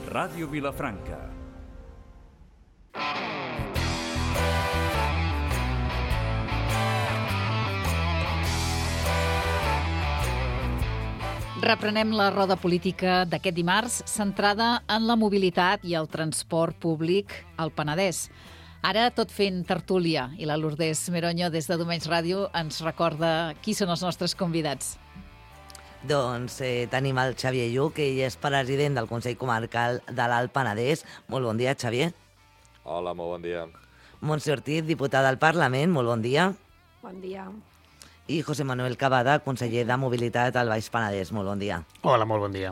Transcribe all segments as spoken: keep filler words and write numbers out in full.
Ràdio Vilafranca. Reprenem la roda política d'aquest dimarts, centrada en la mobilitat i el transport públic al Penedès. Ara, tot fent tertúlia, i la Lourdes Meroño, des de Domenys Ràdio, ens recorda qui són els nostres convidats. Doncs eh, tenim el Xavier Lluc, ell és president del Consell Comarcal de l'Alt Penedès. Molt bon dia, Xavier. Hola, molt bon dia. Montse Ortiz, diputada al Parlament, molt bon dia. Bon dia. I José Manuel Cavada, conseller de Mobilitat al Baix Penedès, molt bon dia. Hola, molt bon dia.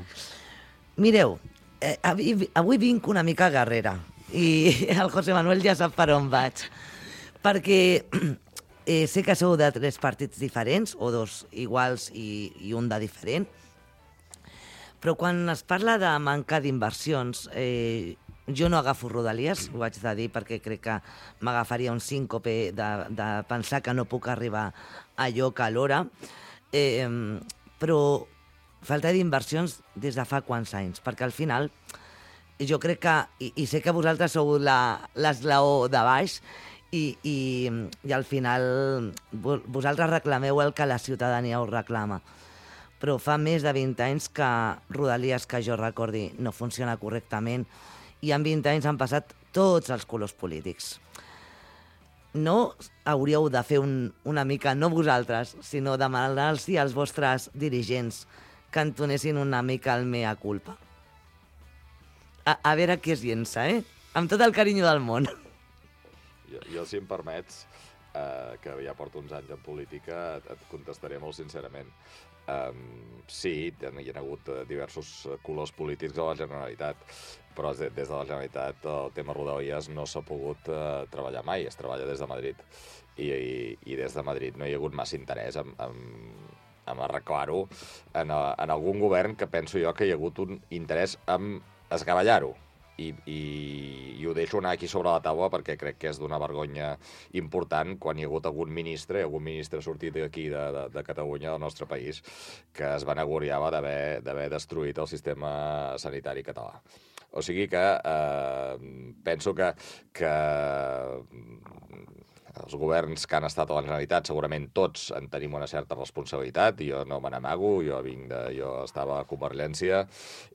Mireu, eh, avui, avui vinc una mica guerrera i el José Manuel ja sap per on vaig, perquè eh, sé que sou de tres partits diferents, o dos iguals i, i un de diferent, però quan es parla de manca d'inversions, eh, jo no agafo Rodalies, ho haig de dir, perquè crec que m'agafaria un síncope de, de pensar que no puc arribar a lloc a l'hora, eh, però falta d'inversions des de fa quants anys, perquè al final jo crec que, i, i sé que vosaltres sou l'esglaó de baix, i, i, i al final vosaltres reclameu el que la ciutadania us reclama, però fa més de vint anys que Rodalies, que jo recordi, no funciona correctament, i en vint anys han passat tots els colors polítics. No hauríeu de fer un, una mica, no vosaltres, sinó demanar-los als vostres dirigents que entonessin una mica el mea culpa. A, a veure qui es llença, eh? Amb tot el carinyo del món. Jo, jo si em permets, eh, que ja porto uns anys en política, et, et contestaré molt sincerament. Um, sí, hi ha hagut diversos colors polítics a la Generalitat, però des de la Generalitat el tema Rodalies no s'ha pogut uh, treballar mai, es treballa des de Madrid. I, i, i des de Madrid no hi ha hagut massa interès en, en, en arreglar-ho en, en algun govern que penso jo que hi ha hagut un interès en esgavellar-ho. I, i, i ho deixo anar aquí sobre la taula perquè crec que és d'una vergonya important quan hi ha hagut algun ministre, algun ministre sortit d'aquí de, de, de Catalunya, del nostre país, que es vanagloriava d'haver d'haver destruït el sistema sanitari català. O sigui que eh, penso que, que els governs que han estat a la Generalitat, segurament tots en tenim una certa responsabilitat, i jo no me n'amago, jo vinc de, jo estava a Convergència,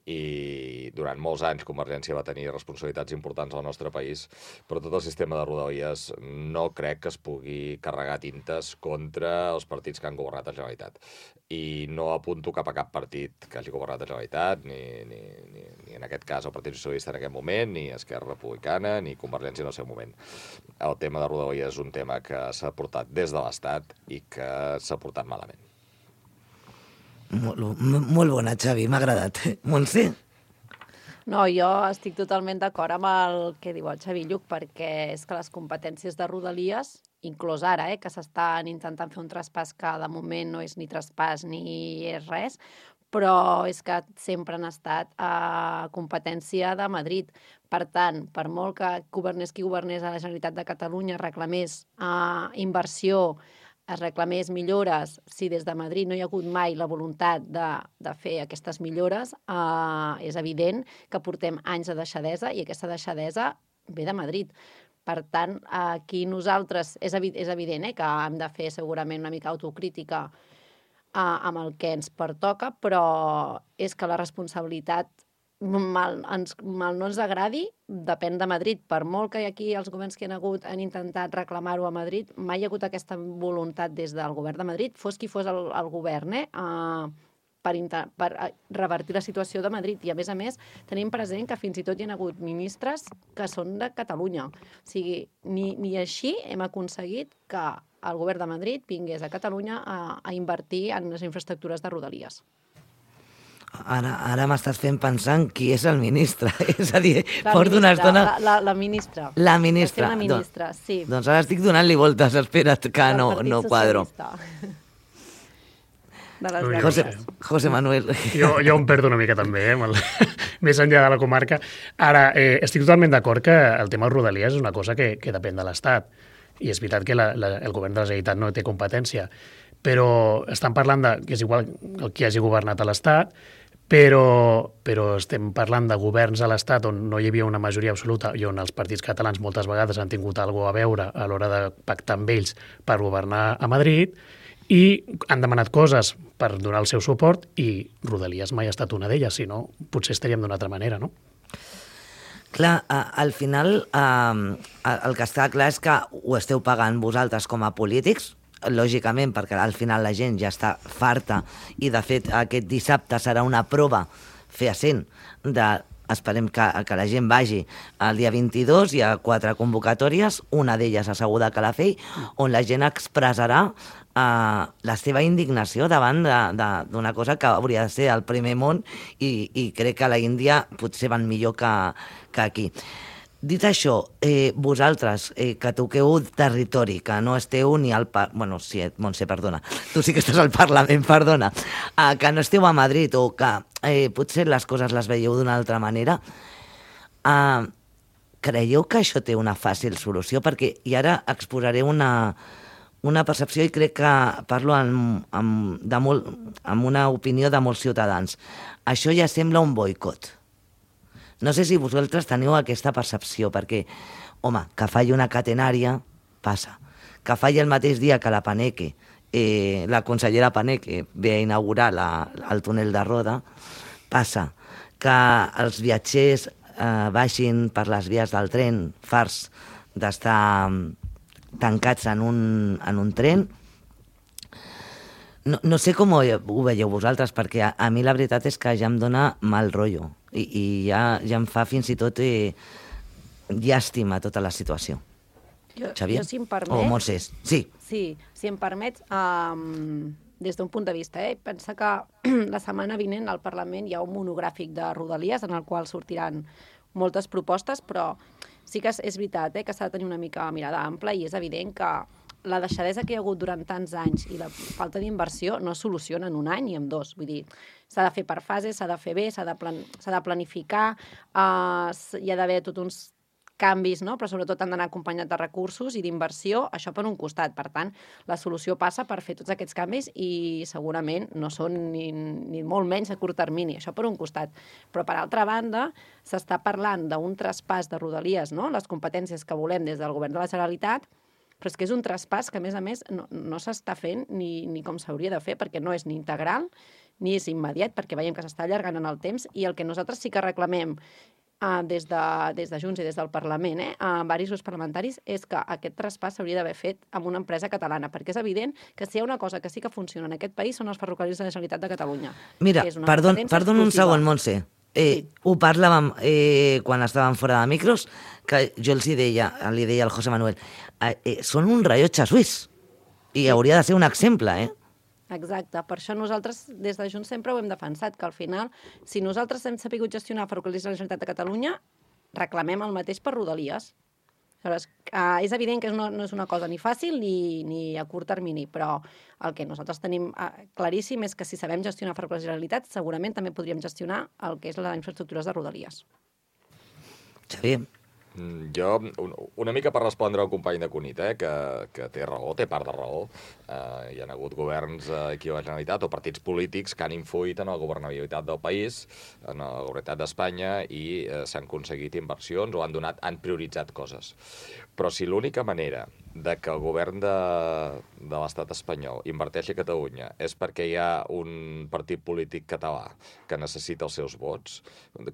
i durant molts anys Convergència va tenir responsabilitats importants al nostre país, però tot el sistema de Rodalies no crec que es pugui carregar tintes contra els partits que han governat a la Generalitat. I no apunto cap a cap partit que hagi governat a la Generalitat, ni, ni, ni, ni en aquest cas el Partit Socialista en aquest moment, ni Esquerra Republicana, ni Convergència en el seu moment. El tema de Rodalies és un tema que s'ha portat des de l'Estat i que s'ha portat malament. Molt, molt bona, Xavi, m'ha agradat. Montse? No, jo estic totalment d'acord amb el que diu el Xavi Lluc, perquè és que les competències de Rodalies, inclús ara, eh, que s'estan intentant fer un traspàs que de moment no és ni traspàs ni és res, però és que sempre han estat a competència de Madrid. Per tant, per molt que governés qui governés a la Generalitat de Catalunya reclamés uh, inversió, es reclamés millores, si des de Madrid no hi ha hagut mai la voluntat de, de fer aquestes millores, uh, és evident que portem anys de deixadesa i aquesta deixadesa ve de Madrid. Per tant, aquí nosaltres, és, evi és evident eh, que hem de fer segurament una mica autocrítica uh, amb el que ens pertoca, però és que la responsabilitat mal, ens, mal no ens agradi, depèn de Madrid. Per molt que aquí els governs que han hagut han intentat reclamar-ho a Madrid, mai hi ha hagut aquesta voluntat des del govern de Madrid, fos qui fos el, el govern, eh, uh, per, per revertir la situació de Madrid. I, a més a més, tenim present que fins i tot hi ha hagut ministres que són de Catalunya. O sigui, ni, ni així hem aconseguit que el govern de Madrid vingués a Catalunya a, a invertir en les infraestructures de Rodalies. Ara, ara m'estàs fent pensar en qui és el ministre. És a dir, la porto ministra, una estona... La, la, la ministra. La ministra. La ministra, Don, sí. Doncs ara estic donant-li voltes, espera't, que no, no quadro. De les José, José Manuel. Jo, jo em perdo una mica també, eh, el, més enllà de la comarca. Ara, eh, estic totalment d'acord que el tema de Rodalies és una cosa que, que depèn de l'Estat. I és veritat que la, la, el govern de la Generalitat no té competència, però estan parlant de que és igual el que hagi governat a l'Estat, però, però estem parlant de governs a l'Estat on no hi havia una majoria absoluta i on els partits catalans moltes vegades han tingut alguna a veure a l'hora de pactar amb ells per governar a Madrid i han demanat coses per donar el seu suport i Rodalies mai ha estat una d'elles, si no, potser estaríem d'una altra manera, no? Clar, al final el que està clar és que ho esteu pagant vosaltres com a polítics, lògicament, perquè al final la gent ja està farta i, de fet, aquest dissabte serà una prova fehaent de... Esperem que, que la gent vagi el dia vint-i-dos, hi ha quatre convocatòries, una d'elles asseguda a Calafell, on la gent expressarà eh, la seva indignació davant d'una cosa que hauria de ser el primer món i, i crec que a la Índia potser van millor que, que aquí. Dit això, eh, vosaltres, eh, que toqueu territori, que no esteu ni al... Par... Bueno, sí, Montse, perdona, tu sí que estàs al Parlament, perdona, eh, que no esteu a Madrid o que eh, potser les coses les veieu d'una altra manera, eh, creieu que això té una fàcil solució? Perquè, i ara exposaré una, una percepció i crec que parlo amb, amb, de molt, amb una opinió de molts ciutadans. Això ja sembla un boicot. No sé si vosaltres teniu aquesta percepció, perquè, home, que falli una catenària, passa. Que falli el mateix dia que la Paneque, eh, la consellera Paneque ve a inaugurar la, el túnel de Roda, passa. Que els viatgers eh, baixin per les vies del tren, farts d'estar tancats en un, en un tren. No, no sé com ho, ho veieu vosaltres, perquè a, a mi la veritat és que ja em dona mal rotllo i, i ja, ja em fa fins i tot eh, llàstima tota la situació. Jo, Xavier? Jo, si em permets... O Montses? Sí. Sí, si em permets, um, des d'un punt de vista, eh, pensa que la setmana vinent al Parlament hi ha un monogràfic de Rodalies en el qual sortiran moltes propostes, però sí que és, és veritat eh, que s'ha de tenir una mica mirada ampla i és evident que la deixadesa que hi ha hagut durant tants anys i la falta d'inversió no es soluciona en un any ni en dos. Vull dir, s'ha de fer per fases, s'ha de fer bé, s'ha de, plan s'ha de planificar, uh, hi ha d'haver tots uns canvis, no? Però sobretot han d'anar acompanyats de recursos i d'inversió, això per un costat. Per tant, la solució passa per fer tots aquests canvis i segurament no són ni, ni molt menys a curt termini, això per un costat. Però per altra banda, s'està parlant d'un traspàs de Rodalies, no? Les competències que volem des del govern de la Generalitat, però és que és un traspàs que, a més a més, no, no s'està fent ni, ni com s'hauria de fer, perquè no és ni integral ni és immediat, perquè veiem que s'està allargant en el temps, i el que nosaltres sí que reclamem uh, des, de, des de Junts i des del Parlament, eh, a diversos grups parlamentaris, és que aquest traspàs s'hauria d'haver fet amb una empresa catalana, perquè és evident que si hi ha una cosa que sí que funciona en aquest país són els ferrocarrils de la Generalitat de Catalunya. Mira, perdó, perdó un segon, Montse. Eh, sí. Ho parlàvem eh, quan estàvem fora de micros, que jo els hi deia, li deia al José Manuel, eh, eh, són un rellotge suís i hauria de ser un exemple, eh? Exacte, per això nosaltres des de Junts sempre ho hem defensat, que al final, si nosaltres hem sabut gestionar ferrocarrils de la Generalitat de Catalunya, reclamem el mateix per Rodalies. Aleshores, uh, és evident que no, no és una cosa ni fàcil ni, ni a curt termini, però el que nosaltres tenim uh, claríssim és que si sabem gestionar ferrocarrils de la Generalitat, segurament també podríem gestionar el que és les infraestructures de Rodalies. Xavier? Jo, un, una mica per respondre al company de Cunit, eh, que, que té raó, té part de raó. Eh, hi ha hagut governs eh, aquí a la Generalitat o partits polítics que han influït en la governabilitat del país, en la governabilitat d'Espanya, i eh, s'han aconseguit inversions o han donat, han prioritzat coses. Però si l'única manera de que el govern de, de l'estat espanyol inverteixi a Catalunya és perquè hi ha un partit polític català que necessita els seus vots,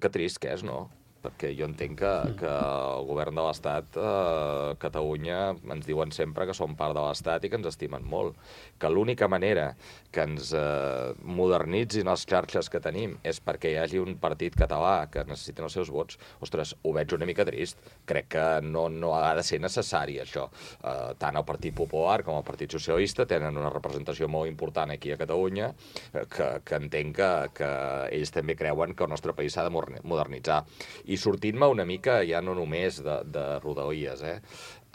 que trist que és, no? Perquè jo entenc que, que el govern de l'Estat, eh, Catalunya, ens diuen sempre que som part de l'Estat i que ens estimen molt. Que l'única manera que ens eh, modernitzin les xarxes que tenim és perquè hi hagi un partit català que necessiten els seus vots. Ostres, ho veig una mica trist. Crec que no, no ha de ser necessari, això. Eh, tant el Partit Popular com el Partit Socialista tenen una representació molt important aquí a Catalunya, que, que entenc que, que ells també creuen que el nostre país s'ha de modernitzar. I sortint-me una mica, ja no només de, de Rodalies, eh?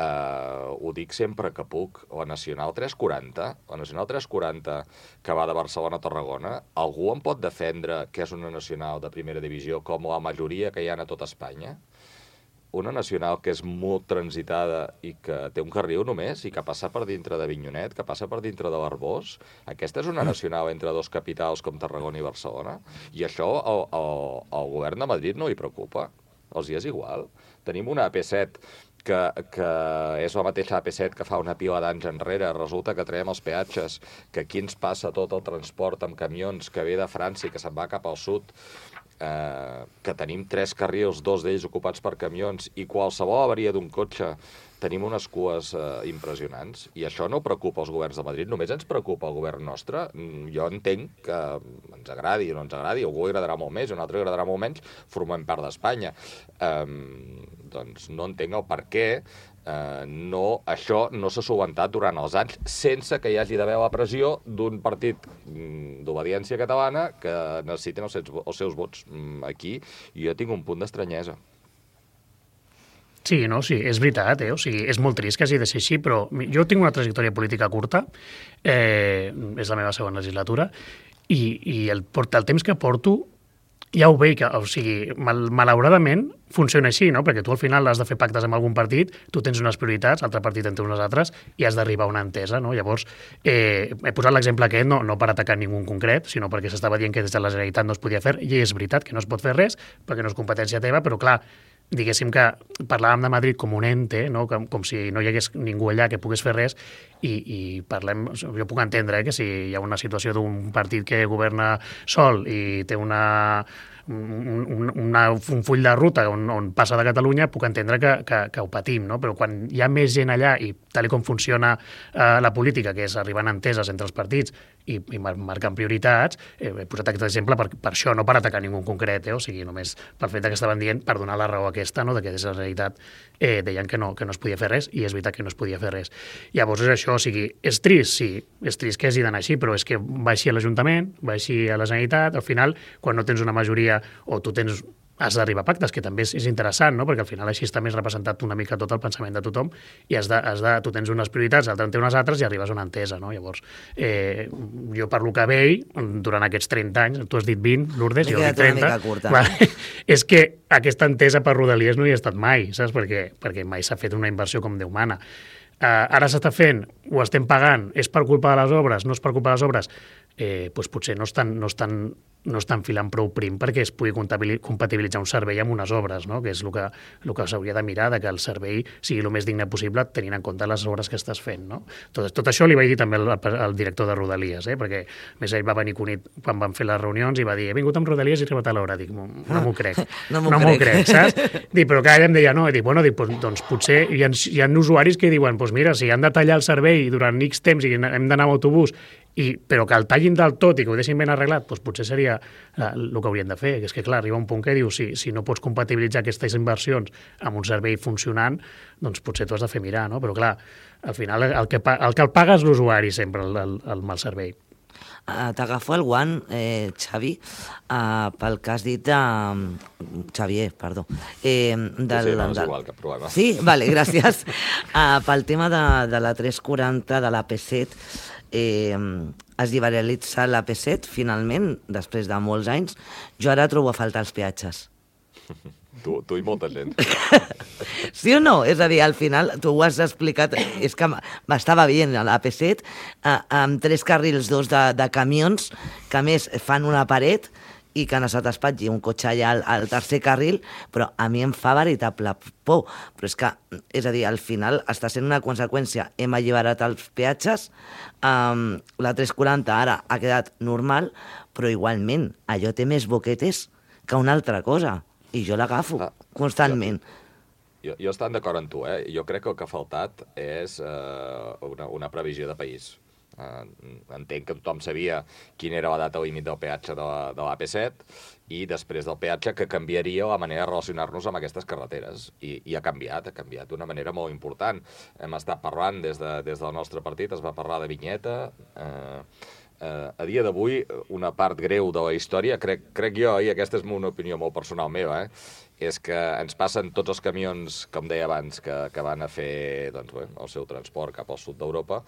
Uh, ho dic sempre que puc, la Nacional tres quaranta, la Nacional tres quaranta que va de Barcelona a Tarragona, algú em pot defendre que és una nacional de primera divisió com la majoria que hi ha a tot Espanya? una nacional que és molt transitada i que té un carril només i que passa per dintre de Avinyonet, que passa per dintre de l'Arbós, aquesta és una nacional entre dos capitals com Tarragona i Barcelona, i això al, al, al govern de Madrid no li preocupa, els hi és igual. Tenim una A P set que, que és la mateixa A P set que fa una pila d'anys enrere, resulta que traiem els peatges, que aquí ens passa tot el transport amb camions que ve de França i que se'n va cap al sud, eh, que tenim tres carrils, dos d'ells ocupats per camions, i qualsevol avaria d'un cotxe tenim unes cues eh, impressionants, i això no preocupa els governs de Madrid, només ens preocupa el govern nostre. Jo entenc que ens agradi o no ens agradi, algú agradarà molt més, un altre agradarà molt menys, formem part d'Espanya. Um, doncs no entenc el per què uh, no, això no s'ha solucionat durant els anys sense que hi hagi d'haver la pressió d'un partit mm, d'obediència catalana que necessiten els seus, els seus vots mm, aquí, i jo tinc un punt d'estranyesa. Sí, no, sí, és veritat, eh? O sigui, és molt trist que hagi de ser així, però jo tinc una trajectòria política curta, eh, és la meva segona legislatura, i, i el, el temps que porto ja ho veig, o sigui, mal, malauradament funciona així, no? Perquè tu al final has de fer pactes amb algun partit, tu tens unes prioritats, l'altre partit en té unes altres, i has d'arribar a una entesa, no? Llavors, eh, he posat l'exemple aquest, no, no per atacar ningú en concret, sinó perquè s'estava dient que des de la Generalitat no es podia fer, i és veritat que no es pot fer res, perquè no és competència teva, però clar, diguéssim que parlàvem de Madrid com un ente, no? com, com si no hi hagués ningú allà que pogués fer res, i, i parlem, jo puc entendre eh, que si hi ha una situació d'un partit que governa sol i té una, un, un, una, un full de ruta on, on passa de Catalunya, puc entendre que, que, que ho patim, no? Però quan hi ha més gent allà, i tal com funciona eh, la política, que és arribant a enteses entre els partits i, i marcant prioritats, eh, he posat aquest exemple per, per això, no per atacar ningú en concret, eh? O sigui, només pel fet que estaven dient, per donar la raó aquesta, no? De que des de la realitat eh, deien que no, que no es podia fer res, i és veritat que no es podia fer res. Llavors és això, o sigui, és trist, sí, és trist que hagi d'anar així, però és que va així a l'Ajuntament, va així a la Generalitat, al final, quan no tens una majoria o tu tens has d'arribar a pactes, que també és, és interessant, no? Perquè al final així està més representat una mica tot el pensament de tothom, i has de, has de, tu tens unes prioritats, l'altre en té unes altres, i arribes a una entesa, no? Llavors, eh, jo per lo que veig, durant aquests trenta anys, tu has dit vint, Lourdes, jo dic trenta, va, és que aquesta entesa per Rodalies no hi ha estat mai, saps? Perquè, perquè mai s'ha fet una inversió com Déu mana. Uh, ara s'està fent, ho estem pagant, és per culpa de les obres, no és per culpa de les obres, eh, doncs potser no estan, no estan no estan filant prou prim perquè es pugui compatibilitzar un servei amb unes obres, no? Que és el que, el que s'hauria de mirar, de que el servei sigui el més digne possible tenint en compte les obres que estàs fent, no? Tot, tot això li vaig dir també al, al director de Rodalies, eh? Perquè més ell va venir Cunit quan van fer les reunions i va dir, he vingut amb Rodalies i he arribat a l'hora. Dic, no m'ho crec, no m'ho no crec. crec, saps? Dic, però cada ella em deia, no, i dic, bueno, dic, doncs potser hi ha, hi ha usuaris que diuen, doncs mira, si han de tallar el servei durant X temps i hem d'anar amb autobús, I, però que el tallin del tot i que ho deixin ben arreglat, doncs potser seria el que haurien de fer, que és que clar, arriba un punt que diu si, si no pots compatibilitzar aquestes inversions amb un servei funcionant, doncs potser t'ho has de fer mirar, no? Però clar, al final el que, el que el paga és l'usuari sempre, el, el, el mal servei. Uh, T'agafo el guant, eh, Xavi, uh, pel que has dit de... Uh, Xavier, perdó. Eh, del, sí, no, és del... igual, cap problema. Sí? Vale, gràcies. Uh, pel tema de, de la tres quaranta, de l'A P set, eh, es liberalitza l'A P set, finalment, després de molts anys. Jo ara trobo a faltar els peatges. Tu, tu i molta gent. Sí o no? És a dir, al final, tu ho has explicat, és que m'estava veient l'A P set eh, amb tres carrils, dos de, de camions, que a més fan una paret i que no se t'espatlli un cotxe allà al, al tercer carril, però a mi em fa veritable por. Però és que, és a dir, al final està sent una conseqüència. Hem alliberat els peatges, um, la tres quaranta ara ha quedat normal, però igualment allò té més boquetes que una altra cosa. I jo l'agafo ah, constantment. Jo, jo, jo estant d'acord amb tu, eh? Jo crec que el que ha faltat és eh, una, una previsió de país. Eh, entenc que tothom sabia quina era la data límit del peatge de, de l'A P set i després del peatge que canviaria la manera de relacionar-nos amb aquestes carreteres. I, i ha canviat, ha canviat d'una manera molt important. Hem estat parlant des, de, des del nostre partit, es va parlar de vinyeta... Eh, Uh, a dia d'avui, una part greu de la història, crec, crec jo, i aquesta és una opinió molt personal meva, eh, és que ens passen tots els camions, com deia abans, que, que van a fer doncs, bé, el seu transport cap al sud d'Europa,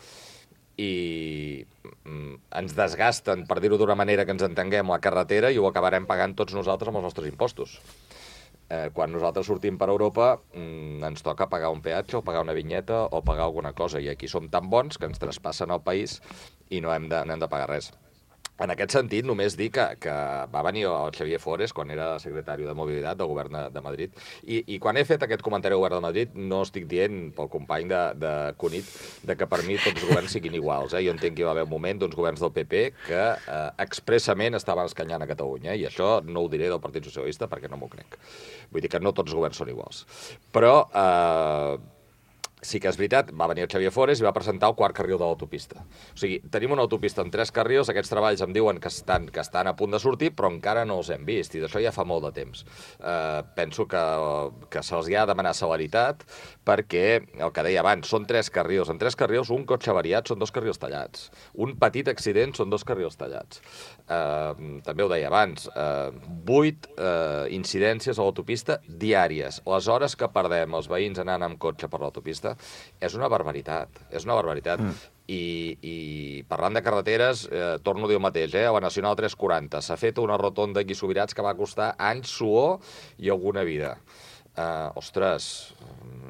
i mm, ens desgasten, per dir-ho d'una manera que ens entenguem, la carretera i ho acabarem pagant tots nosaltres amb els nostres impostos. Eh, quan nosaltres sortim per Europa mm, ens toca pagar un peatge o pagar una vinyeta o pagar alguna cosa, i aquí som tan bons que ens traspassen el país i no hem de, no hem de pagar res. En aquest sentit, només dir que, que va venir el Xavier Fores quan era secretari de Mobilitat del govern de, de Madrid, i, i quan he fet aquest comentari al govern de Madrid no estic dient pel company de, de Cunit de que per mi tots els governs siguin iguals. Eh? Jo entenc que hi va haver un moment d'uns governs del P P que eh, expressament estaven escanyant a Catalunya, eh? I això no ho diré del Partit Socialista perquè no m'ho crec. Vull dir que no tots els governs són iguals. Però... Eh, sí que és veritat, va venir el Xavier Fores i va presentar el quart carril de l'autopista. O sigui, tenim una autopista amb tres carrils, aquests treballs em diuen que estan, que estan a punt de sortir, però encara no els hem vist, i d'això ja fa molt de temps. Uh, penso que, que se'ls ha de demanar celeritat, perquè, el que deia abans, són tres carrils. En tres carrils, un cotxe avariat són dos carrils tallats. Un petit accident són dos carrils tallats. Uh, també ho deia abans, uh, vuit uh, incidències a l'autopista diàries. Les hores que perdem els veïns anant amb cotxe per l'autopista és una barbaritat, és una barbaritat. Mm. I, i parlant de carreteres, eh, torno a dir el mateix, eh? A la Nacional tres quaranta s'ha fet una rotonda aquí Subirats que va costar anys, suor i alguna vida. Eh, ostres,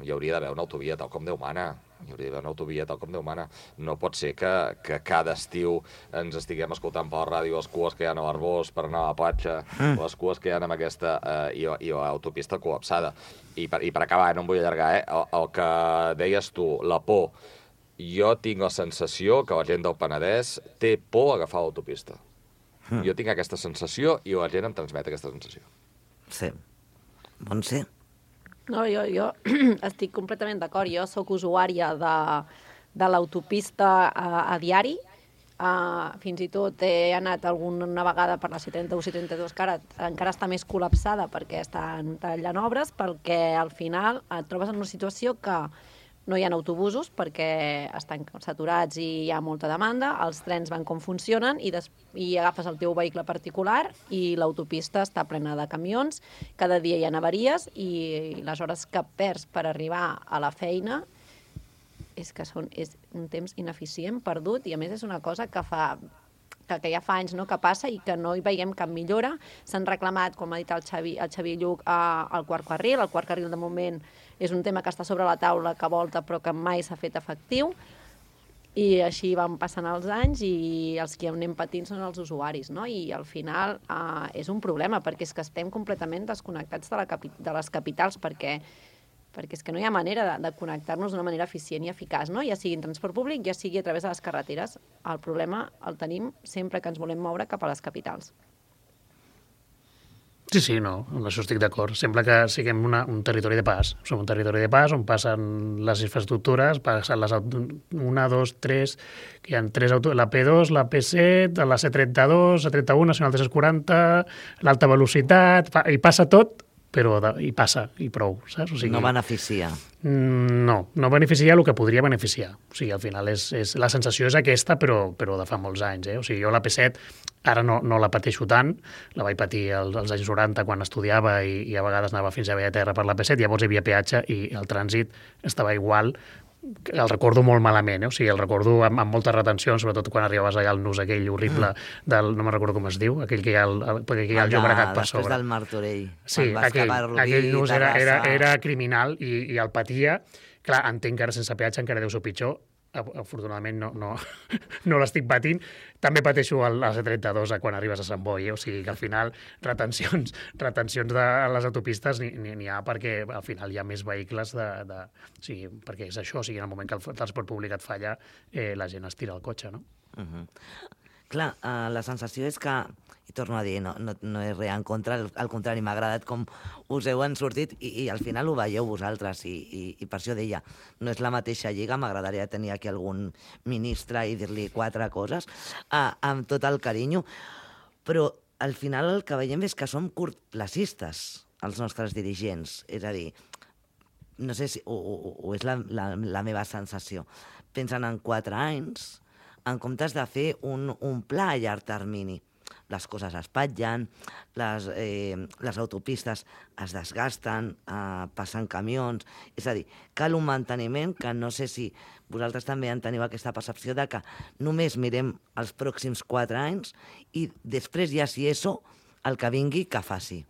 hi hauria d'haver una autovia tal com Déu mana. Hi hauria d'haver una autovia tal com Déu mana. No pot ser que, que cada estiu ens estiguem escoltant per la ràdio les cues que hi ha a l'Arbós per anar a la platja, mm. les cues que hi ha amb aquesta eh, i, i l'autopista col·lapsada. I per, I per acabar, no em vull allargar, eh? el, el que deies tu, la por. Jo tinc la sensació que la gent del Penedès té por a agafar l'autopista. Mm. Jo tinc aquesta sensació i la gent em transmet aquesta sensació. Sí. Bon ser. No, jo, jo estic completament d'acord. Jo sóc usuària de, de l'autopista a, a diari. Uh, fins i tot he anat alguna vegada per la C trenta-u, C trenta-dos, que ara encara està més col·lapsada perquè estan tallant obres, perquè al final et trobes en una situació que no hi ha autobusos perquè estan saturats i hi ha molta demanda, els trens van com funcionen i, des, i agafes el teu vehicle particular i l'autopista està plena de camions, cada dia hi ha avaries i les hores que perds per arribar a la feina és que són, és un temps ineficient, perdut, i a més és una cosa que fa que, que ja fa anys no, que passa i que no hi veiem cap millora. S'han reclamat, com ha dit el Xavi, el Xavi Lluc, eh, el quart carril. El quart carril de moment és un tema que està sobre la taula, que volta, però que mai s'ha fet efectiu. I així van passant els anys i els que anem patint són els usuaris, no? I al final eh, és un problema, perquè és que estem completament desconnectats de, la capi de les capitals, perquè perquè és que no hi ha manera de, de connectar-nos d'una manera eficient i eficaç, no? Ja sigui en transport públic, ja sigui a través de les carreteres. El problema el tenim sempre que ens volem moure cap a les capitals. Sí, sí, no, amb això estic d'acord. Sembla que siguem una, un territori de pas. Som un territori de pas on passen les infraestructures, passen les una, dos, tres, que hi ha tres auto, la P dos, la P set, la C trenta-dos, la trenta-u, Nacional tres quaranta, l'alta velocitat, i passa tot, però de, i passa, i prou, saps? O sigui, no beneficia. No, no beneficia el que podria beneficiar. O sigui, al final és, és, la sensació és aquesta, però, però de fa molts anys. Eh? O sigui, jo la P set ara no, no la pateixo tant, la vaig patir als, als anys noranta quan estudiava i, i a vegades anava fins a Bellaterra per la P set, llavors hi havia peatge i el trànsit estava igual. El recordo molt malament, eh? O sigui, el recordo amb, amb molta retenció, sobretot quan arribaves allà al nus aquell horrible del, no me'n recordo com es diu, aquell que hi ha el, el, que hi ha el Llobregat per sobre. Després del Martorell. Sí, aquell, aquell nus era, era, era criminal i, i el patia. Clar, entenc que ara sense peatge encara deu ser pitjor. Afortunadament no, no, no l'estic patint. També pateixo el, el C trenta-dos quan arribes a Sant Boi, eh? O sigui que al final retencions, retencions de les autopistes n'hi ha perquè al final hi ha més vehicles de, de, o sigui, perquè és això, o sigui, en el moment que el transport públic et falla, eh, la gent es tira al cotxe, no? Uh-huh. Clar, uh, la sensació és que, i torno a dir, no, no, no és res en contra, al contrari, m'ha agradat com us heu en sortit i, i al final ho veieu vosaltres i, i, i per això deia, no és la mateixa lliga, m'agradaria tenir aquí algun ministre i dir-li quatre coses uh, amb tot el carinyo, però al final el que veiem és que som curtplacistes, els nostres dirigents, és a dir, no sé si, o, o, o és la, la, la meva sensació, pensen en quatre anys, en comptes de fer un, un pla a llarg termini. Les coses es patllen, les, eh, les autopistes es desgasten, eh, passen camions... És a dir, cal un manteniment que no sé si vosaltres també en teniu aquesta percepció de que només mirem els pròxims quatre anys i després ja si això, el que vingui, que faci.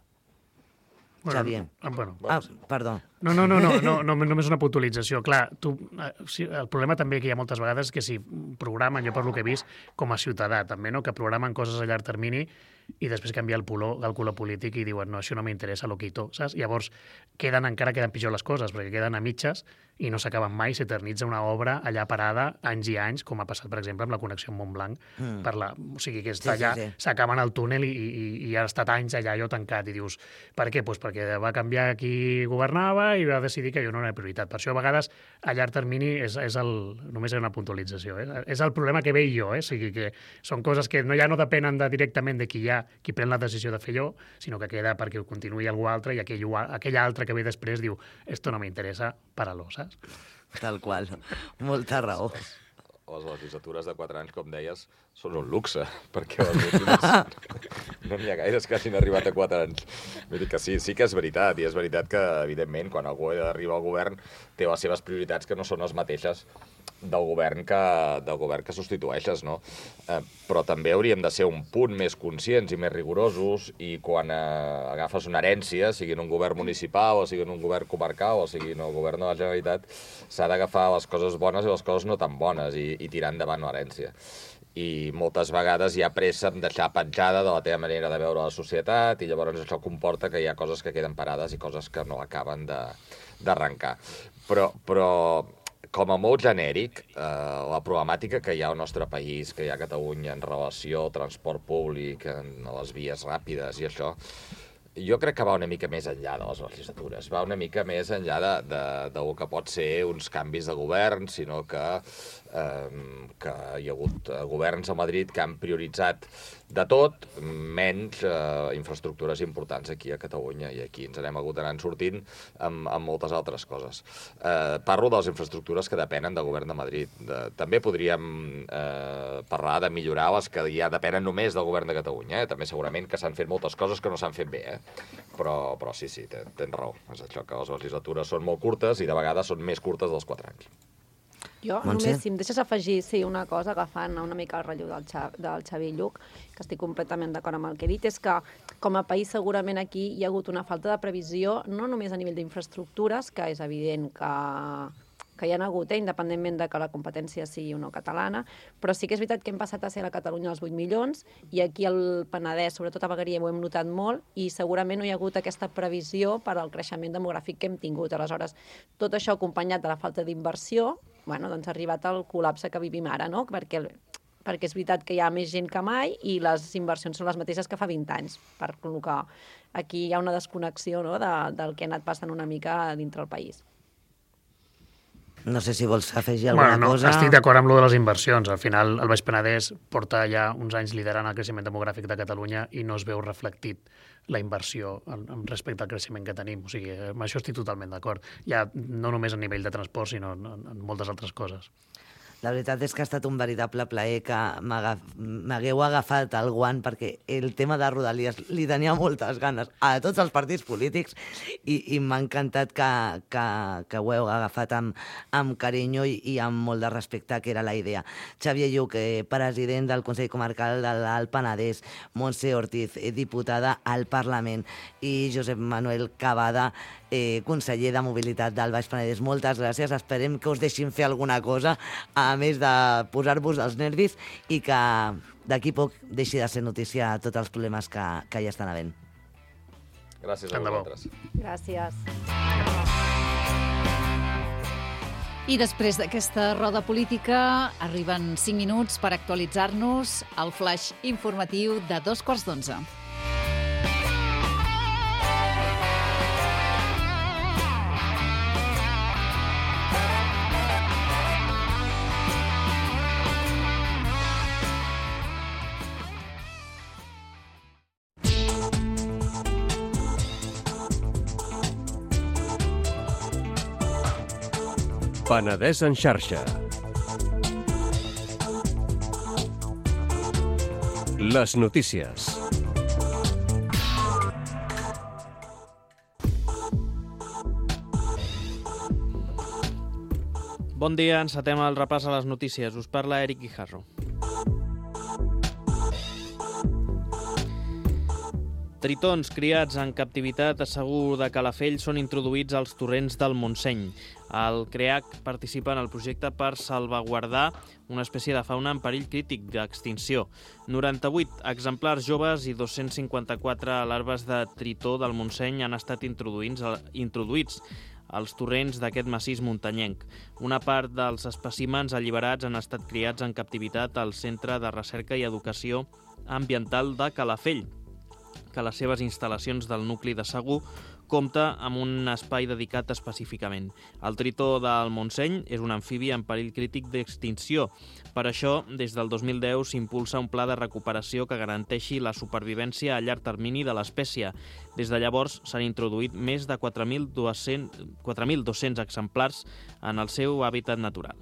Bueno, Xavier. ah, bueno. Ah, perdó. No, no, no, no, no, no, només una puntualització. Clar, tu, eh, sí, el problema també que hi ha moltes vegades és que si programen, jo per lo que he vist, com a ciutadà també, no? Que programen coses a llarg termini i després canvia el, color, el color polític i diuen, no, això no m'interessa, lo quito, saps? Llavors, queden, encara queden pitjor les coses, perquè queden a mitges i no s'acaben mai, s'eternitza una obra allà parada anys i anys, com ha passat, per exemple, amb la connexió amb Montblanc. Mm. Per la, o sigui, que està sí, allà, sí, sí. s'acaben el túnel i, i, i ha estat anys allà allò tancat. I dius, per què? Pues perquè va canviar qui governava i va decidir que jo no era prioritat. Per això, a vegades, a llarg termini, és, és el, només és una puntualització. Eh? És el problema que veig jo. Eh? O sigui, que són coses que no, ja no depenen de, directament de qui hi ha, qui pren la decisió de fer allò, sinó que queda perquè ho continuï algú altre i aquell, aquell altre que ve després diu esto no m'interessa, para-lo, saps? Tal qual. Molta raó. Les legislatures de quatre anys, com deies, són un luxe, perquè les últimes no n'hi ha gaires que hagin arribat a quatre anys. Vull dir que sí, sí que és veritat, i és veritat que, evidentment, quan algú arriba al govern té les seves prioritats que no són les mateixes del govern que, del govern que substitueixes, no? Eh, però també hauríem de ser un punt més conscients i més rigorosos, i quan eh, agafes una herència, sigui en un govern municipal, o sigui en un govern comarcal, o sigui en el govern de la Generalitat, s'ha d'agafar les coses bones i les coses no tan bones, i, i tirar endavant l'herència. I moltes vegades hi ha pressa en deixar petjada de la teva manera de veure la societat, i llavors això comporta que hi ha coses que queden parades i coses que no acaben d'arrencar. Però, però com a molt genèric, eh, la problemàtica que hi ha al nostre país, que hi ha a Catalunya en relació al transport públic, en les vies ràpides i això, jo crec que va una mica més enllà de les legislatures, va una mica més enllà de, de, del que pot ser uns canvis de govern, sinó que, eh, que hi ha hagut governs a Madrid que han prioritzat de tot, menys eh, infraestructures importants aquí a Catalunya, i aquí ens n'hem hagut d'anar sortint amb, amb moltes altres coses. Eh, parlo de les infraestructures que depenen del govern de Madrid. De, també podríem eh, parlar de millorar les que ja depenen només del govern de Catalunya. Eh? També segurament que s'han fet moltes coses que no s'han fet bé, eh? però, però sí, sí, tens, tens raó. És això, que les legislatures són molt curtes i de vegades són més curtes dels quatre anys. Jo Montse? només, si em deixes afegir sí, una cosa, agafant una mica el relleu del, Xa, del Xavi Lluc, que estic completament d'acord amb el que he dit, és que com a país segurament aquí hi ha hagut una falta de previsió, no només a nivell d'infraestructures, que és evident que, que hi ha hagut, eh, independentment de que la competència sigui o no catalana, però sí que és veritat que hem passat a ser a Catalunya els vuit milions, i aquí al Penedès, sobretot a Vegueria, ho hem notat molt, i segurament no hi ha hagut aquesta previsió per al creixement demogràfic que hem tingut. Aleshores, tot això acompanyat de la falta d'inversió, bueno, doncs ha arribat al col·lapse que vivim ara, no? Perquè, perquè és veritat que hi ha més gent que mai i les inversions són les mateixes que fa vint anys, per lo que aquí hi ha una desconnexió, no?, de, del que ha anat passant una mica dintre el país. No sé si vols afegir alguna bueno, no, cosa. Estic d'acord amb lo de les inversions. Al final, el Baix Penedès porta ja uns anys liderant el creixement demogràfic de Catalunya i no es veu reflectit la inversió en, en respecte al creixement que tenim. O sigui, amb això estic totalment d'acord. Ja no només a nivell de transport, sinó en, en moltes altres coses. La veritat és que ha estat un veritable plaer que m'hagueu agafat el guant, perquè el tema de Rodalies li tenia moltes ganes a tots els partits polítics, i, i m'ha encantat que, que, que ho heu agafat amb, amb carinyo i, i amb molt de respecte, que era la idea. Xavier Lluc, eh, president del Consell Comarcal de l'Alt Penedès, Montse Ortiz, eh, diputada al Parlament, i Josep Manuel Cavada, eh, conseller de Mobilitat del Baix Penedès. Moltes gràcies, esperem que us deixin fer alguna cosa, a més de posar-vos els nervis, i que d'aquí poc deixi de ser notícia tots els problemes que, que hi estan havent. Gràcies a vosaltres. Gràcies. I després d'aquesta roda política arriben cinc minuts per actualitzar-nos el flash informatiu de dos quarts d'onze. Penedès en xarxa. Les notícies. Bon dia, encetem el repàs a les notícies. Us parla Eric Guijarro. Tritons criats en captivitat a Segur de Calafell són introduïts als torrents del Montseny. El CREAC participa en el projecte per salvaguardar una espècie de fauna en perill crític d'extinció. noranta-vuit exemplars joves i dos-cents cinquanta-quatre larves de tritó del Montseny han estat introduïts, introduïts als torrents d'aquest massís muntanyenc. Una part dels espècimens alliberats han estat criats en captivitat al Centre de Recerca i Educació Ambiental de Calafell, que les seves instal·lacions del nucli de Segur compta amb un espai dedicat específicament. El tritó del Montseny és un amfibi en perill crític d'extinció. Per això, des del dos mil deu s'impulsa un pla de recuperació que garanteixi la supervivència a llarg termini de l'espècie. Des de llavors s'han introduït més de quatre mil dos-cents exemplars en el seu hàbitat natural.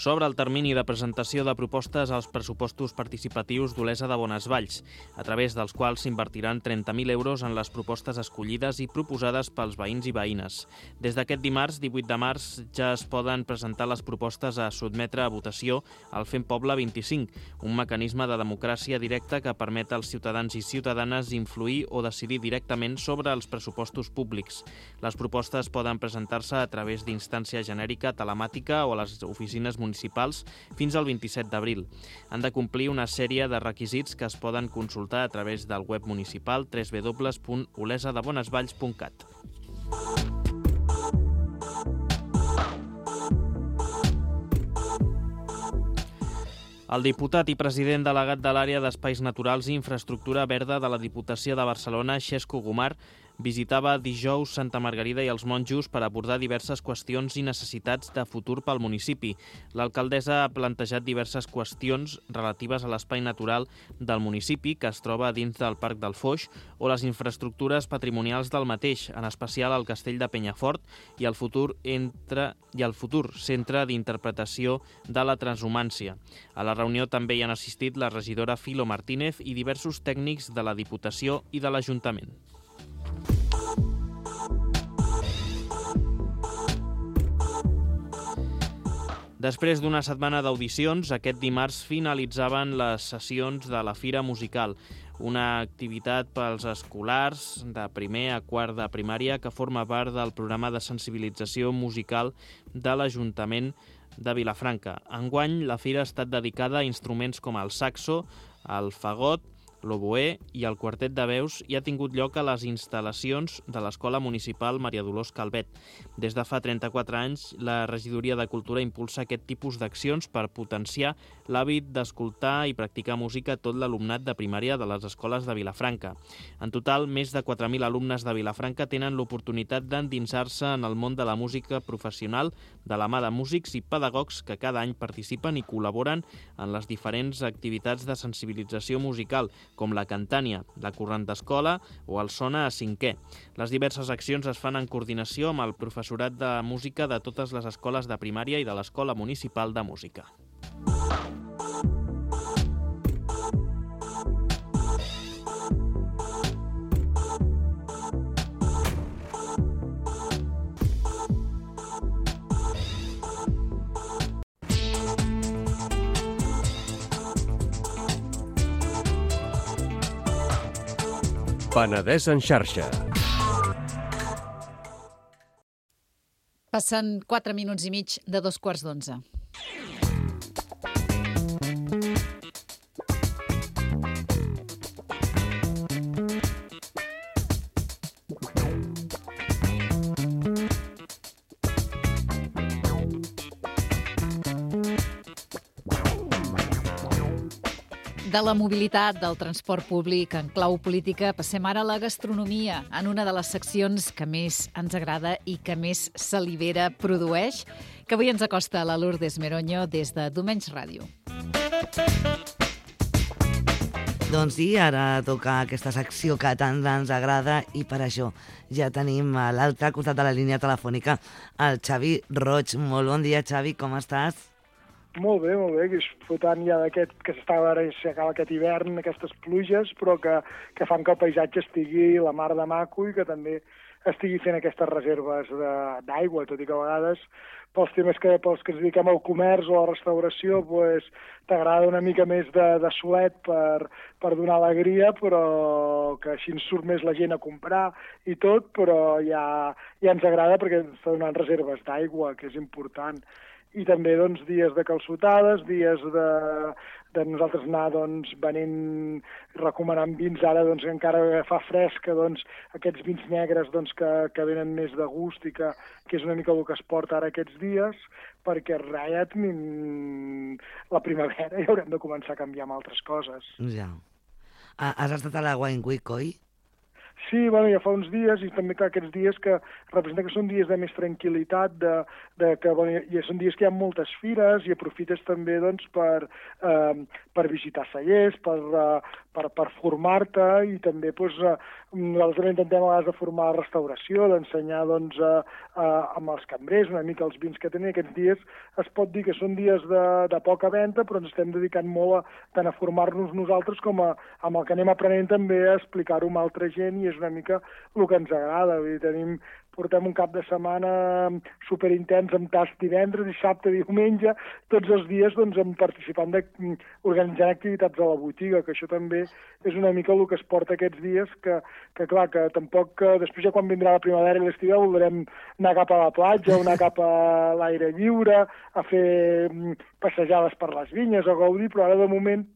S'obre el termini de presentació de propostes als pressupostos participatius d'Olesa de Bonesvalls, a través dels quals s'invertiran trenta mil euros en les propostes escollides i proposades pels veïns i veïnes. Des d'aquest dimarts, divuit de març, ja es poden presentar les propostes a sotmetre a votació al Fem Poble vint-i-cinc, un mecanisme de democràcia directa que permet als ciutadans i ciutadanes influir o decidir directament sobre els pressupostos públics. Les propostes poden presentar-se a través d'instància genèrica telemàtica o a les oficines municipals municipals fins al vint-i-set d'abril. Han de complir una sèrie de requisits que es poden consultar a través del web municipal w w w punt olesa de bonesvalls punt cat. El diputat i president delegat de l'àrea d'Espais Naturals i Infraestructura Verda de la Diputació de Barcelona, Xesco Gomar, visitava dijous Santa Margarida i els monjos per abordar diverses qüestions i necessitats de futur pel municipi. L'alcaldessa ha plantejat diverses qüestions relatives a l'espai natural del municipi, que es troba dins del Parc del Foix, o les infraestructures patrimonials del mateix, en especial el Castell de Penyafort i el futur, entre, i el futur centre d'interpretació de la transhumància. A la reunió també hi han assistit la regidora Filo Martínez i diversos tècnics de la Diputació i de l'Ajuntament. Després d'una setmana d'audicions, aquest dimarts finalitzaven les sessions de la Fira Musical, una activitat pels escolars de primer a quart de primària que forma part del programa de sensibilització musical de l'Ajuntament de Vilafranca. Enguany, la fira ha estat dedicada a instruments com el saxo, el fagot, l'oboè i el quartet de veus i ha tingut lloc a les instal·lacions de l'Escola Municipal Maria Dolors Calvet. Des de fa trenta-quatre anys, la Regidoria de Cultura impulsa aquest tipus d'accions per potenciar l'hàbit d'escoltar i practicar música a tot l'alumnat de primària de les escoles de Vilafranca. En total, més de quatre mil alumnes de Vilafranca tenen l'oportunitat d'endinsar-se en el món de la música professional de la mà de músics i pedagogs que cada any participen i col·laboren en les diferents activitats de sensibilització musical, com la Cantània, la Corrent d'Escola o el Sona a cinquè. Les diverses accions es fan en coordinació amb el professorat de música de totes les escoles de primària i de l'Escola Municipal de Música. Penedès en xarxa. Passen quatre minuts i mig de dos quarts d'onze. De la mobilitat del transport públic en clau política passem ara a la gastronomia, en una de les seccions que més ens agrada i que més salivera produeix, que avui ens acosta la Lourdes Meroño des de Domenys Ràdio. Doncs sí, ara toca aquesta secció que tant ens agrada i per això ja tenim a l'altre costat de la línia telefònica el Xavi Roig. Molt bon dia, Xavi, com estàs? Molt bé, molt bé, disfrutant ja d'aquest que s'estava ara, s'acaba aquest hivern, aquestes pluges, però que, que fan que el paisatge estigui la mar de maco i que també estigui fent aquestes reserves d'aigua, tot i que a vegades pels temes que, pels que ens dediquem al comerç o a la restauració, pues, t'agrada una mica més de, de suet per, per donar alegria, però que així ens surt més la gent a comprar i tot, però ja, ja ens agrada perquè ens està donant reserves d'aigua, que és important. I també doncs, dies de calçotades, dies de, de nosaltres anar doncs, venint, recomanant vins, ara doncs, encara fa fresca, doncs, aquests vins negres doncs, que, que venen més de gust i que, que és una mica el que es porta ara aquests dies, perquè res, ja tenim la primavera i haurem de començar a canviar amb altres coses. Ja. Ah, has estat a la Wine Week, oi? Sí, bueno, ja fa uns dies, i també clar, aquests dies que representa que són dies de més tranquil·litat, de, de que bueno, i són dies que hi ha moltes fires i aprofites també doncs, per, eh, per visitar cellers, per, eh, per, per formar-te i també doncs, eh, nosaltres també intentem a vegades de formar la restauració, d'ensenyar doncs, eh, eh, amb els cambrers una mica els vins que tenen. Aquests dies es pot dir que són dies de, de poca venda, però ens estem dedicant molt a, tant a formar-nos nosaltres com a, amb el que anem aprenent també a explicar-ho amb altra gent i és una mica el que ens agrada. Vull dir, tenim, portem un cap de setmana superintens amb tast divendres, dissabte, diumenge, tots els dies doncs, participant de, organitzant activitats a la botiga, que això també és una mica el que es porta aquests dies, que, que clar, que tampoc, que després ja quan vindrà la primavera i l'estiu voldrem anar cap a la platja, o anar cap a l'aire lliure, a fer passejades per les vinyes, a gaudir, però ara de moment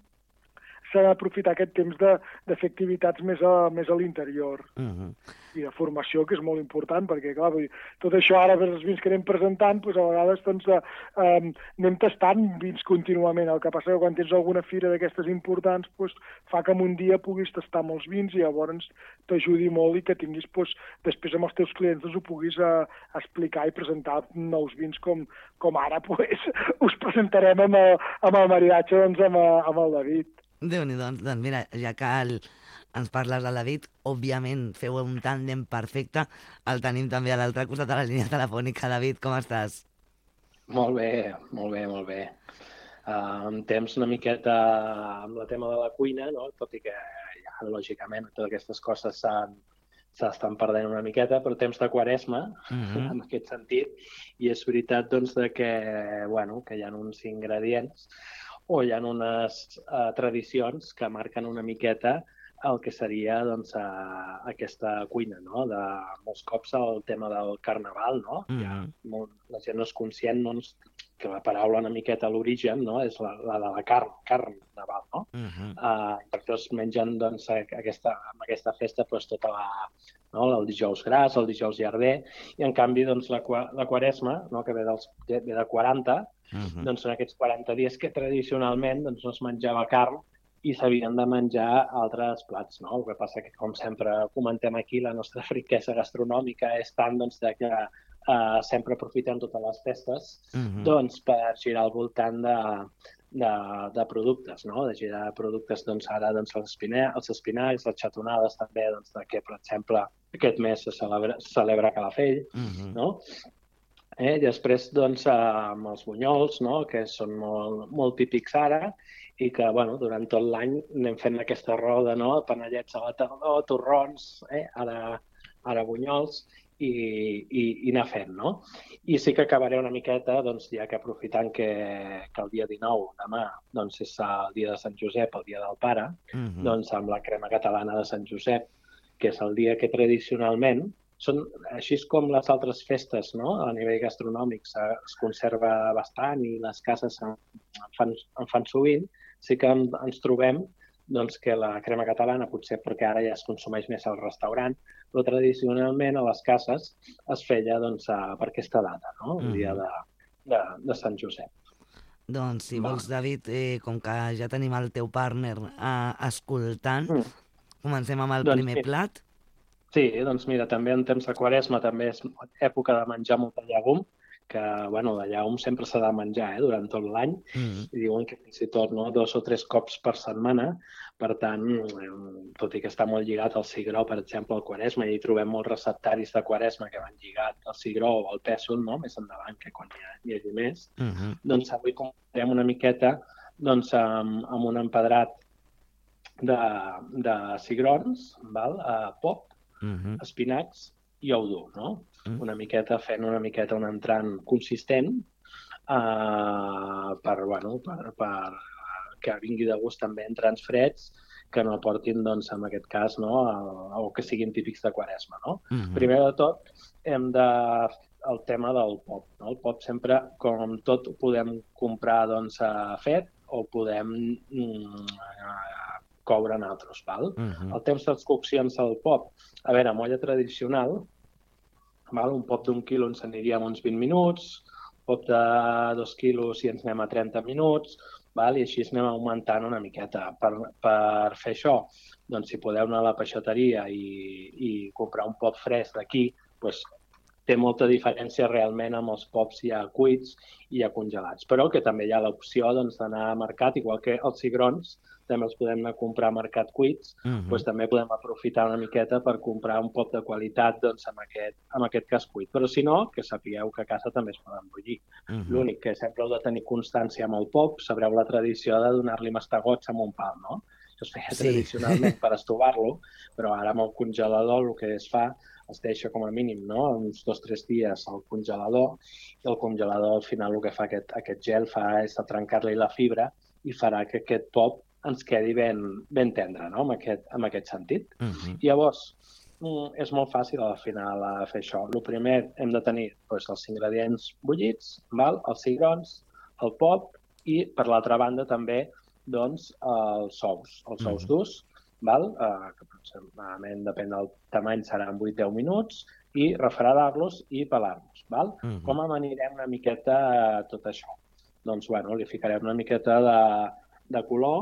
s'ha d'aprofitar aquest temps de, de fer activitats més a, més a l'interior. Uh-huh. I de formació, que és molt important, perquè, clar, vull dir, tot això ara, els vins que anem presentant, doncs, a vegades doncs, eh, anem tastant vins contínuament. El que passa que quan tens alguna fira d'aquestes importants, doncs, fa que en un dia puguis tastar molts vins i llavors t'ajudi molt i que tinguis, doncs, després amb els teus clients doncs, ho puguis eh, explicar i presentar nous vins com, com ara doncs, us presentarem amb el, amb el maridatge doncs, amb, amb el David. Déu-n'hi-do, doncs, doncs mira, ja que el, ens parles del David, òbviament feu un tàndem perfecte, el tenim també a l'altre costat de la línia telefònica. David, com estàs? Molt bé, molt bé, molt bé. Uh, en temps una miqueta amb el tema de la cuina, no? Tot i que ja, lògicament, totes aquestes coses s'estan perdent una miqueta, però temps de quaresma, uh-huh. en aquest sentit, i és veritat doncs, de que, bueno, que hi ha uns ingredients o hi ha unes uh, tradicions que marquen una miqueta el que seria doncs, uh, aquesta cuina, no? De molts cops el tema del carnaval, no? Mm. Ja, molt, la gent no és conscient doncs, que la paraula una miqueta a l'origen, no? És la, la de la carn, carn naval, no? Mm-hmm. uh, perquè es mengen doncs, aquesta, amb aquesta festa doncs, tota la, no? El dijous gras, el dijous llarder, i en canvi doncs, la, la quaresma, no? Que ve, dels, ve de quaranta, uh-huh. doncs en aquests quaranta dies que tradicionalment doncs, no es menjava carn i s'havien de menjar altres plats, no? El que passa que, com sempre comentem aquí, la nostra riquesa gastronòmica és tant doncs, de que uh, sempre aprofitem totes les festes uh-huh. doncs, per girar al voltant de, de, de productes, no? De girar productes, doncs, ara doncs, els, espina, els espinacs, les xatonades també, doncs, de que, per exemple, aquest mes se celebra, se celebra Calafell, uh-huh. no? Eh? I després, doncs, amb els bunyols, no? Que són molt, molt típics ara, i que, bueno, durant tot l'any anem fent aquesta roda, no? Panellets a la tardor, torrons, eh? ara, ara bunyols, i, i, i anar fent, no? I sí que acabaré una miqueta, doncs, ja que aprofitant que, que el dia dinou, demà, doncs, és el dia de Sant Josep, el dia del pare, uh-huh. doncs, amb la crema catalana de Sant Josep, que és el dia que tradicionalment són, així com les altres festes, no? A nivell gastronòmic es conserva bastant i les cases en fan, en fan sovint, sí que en, ens trobem doncs, que la crema catalana, potser perquè ara ja es consumeix més al restaurant, però tradicionalment a les cases es feia doncs, a, per aquesta data, no? El dia de, de, de Sant Josep. Doncs, si vols, David, eh, com que ja tenim el teu partner eh, escoltant, mm. comencem amb el doncs, primer plat. Sí, doncs mira, també en temps de quaresma també és època de menjar molta llegum, que, bueno, la llegum sempre s'ha de menjar eh, durant tot l'any, mm. i diuen que fins i tot no, dos o tres cops per setmana, per tant, tot i que està molt lligat al cigró, per exemple, al quaresma, i hi trobem molts receptaris de quaresma que van lligat al cigró o al pèsol, no? Més endavant, que quan hi, ha, hi hagi més, mm-hmm. doncs avui comentarem una miqueta doncs, amb, amb un empedrat de, de cigrons, val? Uh, pop, Uh-huh. espinacs jo ho dur, no? Una miqueta fent una miqueta un entrant consistent uh, per, bueno, per, per que vingui de gust també entrants freds que no portin, doncs, en aquest cas, no, a, o que siguin típics de Quaresma, no? Uh-huh. Primer de tot, hem de el tema del pop, no? El pop sempre, com tot, ho podem comprar, doncs, fet o podem mm, coure en altres, val? Uh-huh. El temps de les coccions del pop, a veure, molla tradicional, val? Un pop d'un quilo ens aniria a uns vint minuts, pop de dos quilos i ens anem a trenta minuts, val? I així anem augmentant una miqueta. Per, per fer això, doncs, si podeu anar a la peixateria i, i comprar un pop fresc d'aquí, doncs, té molta diferència realment amb els pops ja cuits i ja congelats. Però que també hi ha l'opció, doncs, d'anar a mercat, igual que els cigrons, també els podem anar a comprar a mercat cuits, uh-huh. doncs també podem aprofitar una miqueta per comprar un pop de qualitat, doncs, amb aquest, amb aquest cas cuit. Però si no, que sapigueu que a casa també es poden bullir. Uh-huh. L'únic que sempre heu de tenir constància amb el pop, sabreu la tradició de donar-li mastegots amb un pal, no? Això es feia sí. tradicionalment per estovar-lo, però ara amb el congelador el que es fa es deixa com a mínim, no?, uns dos o tres dies al congelador, i el congelador al final el que fa aquest, aquest gel fa és trencar-li la fibra i farà que aquest pop ens quedi ben, ben tendre, no?, en aquest, en aquest sentit. Uh-huh. Llavors, és molt fàcil al final fer això. El primer hem de tenir doncs, els ingredients bullits, val? Els cigrons, el pop i, per l'altra banda, també doncs, els ous, els ous uh-huh. durs, val? Uh, que aproximadament, depèn del tamany, seran vuit a deu minuts, i refredar-los i pelar-los. Val? Uh-huh. Com amanirem una miqueta tot això? Doncs, bueno, li ficarem una miqueta de, de color,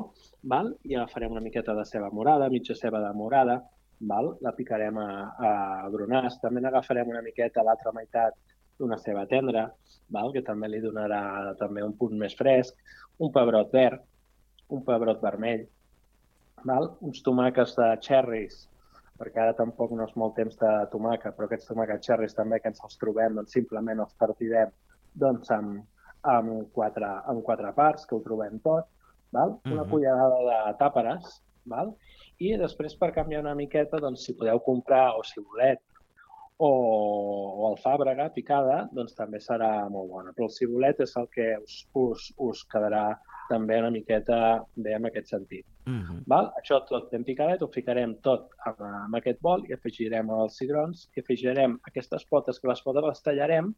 val? I agafarem una miqueta de ceba morada, mitja ceba de morada, val? La picarem a, a bronars. També n'agafarem una miqueta a l'altra meitat d'una ceba tendra, val? Que també li donarà també un punt més fresc, un pebrot verd, un pebrot vermell, val? Uns tomàquets de cherries, perquè ara tampoc no és molt temps de tomàquet, però aquests tomàquets cherries també que ens els trobem, doncs simplement els partirem doncs, amb, amb, quatre, amb quatre parts, que ho trobem tot, val? Una uh-huh. cullerada de tàperes, val? I després, per canviar una miqueta, doncs, si podeu comprar o cibulet o, o alfàbrega picada, doncs també serà molt bona. Però el cibulet és el que us, us, us quedarà també una miqueta bé en aquest sentit. Uh-huh. Val? Això tot ben picadet, ho ficarem tot en, en aquest bol i afegirem els cigrons i afegirem aquestes potes, que les potes les tallarem,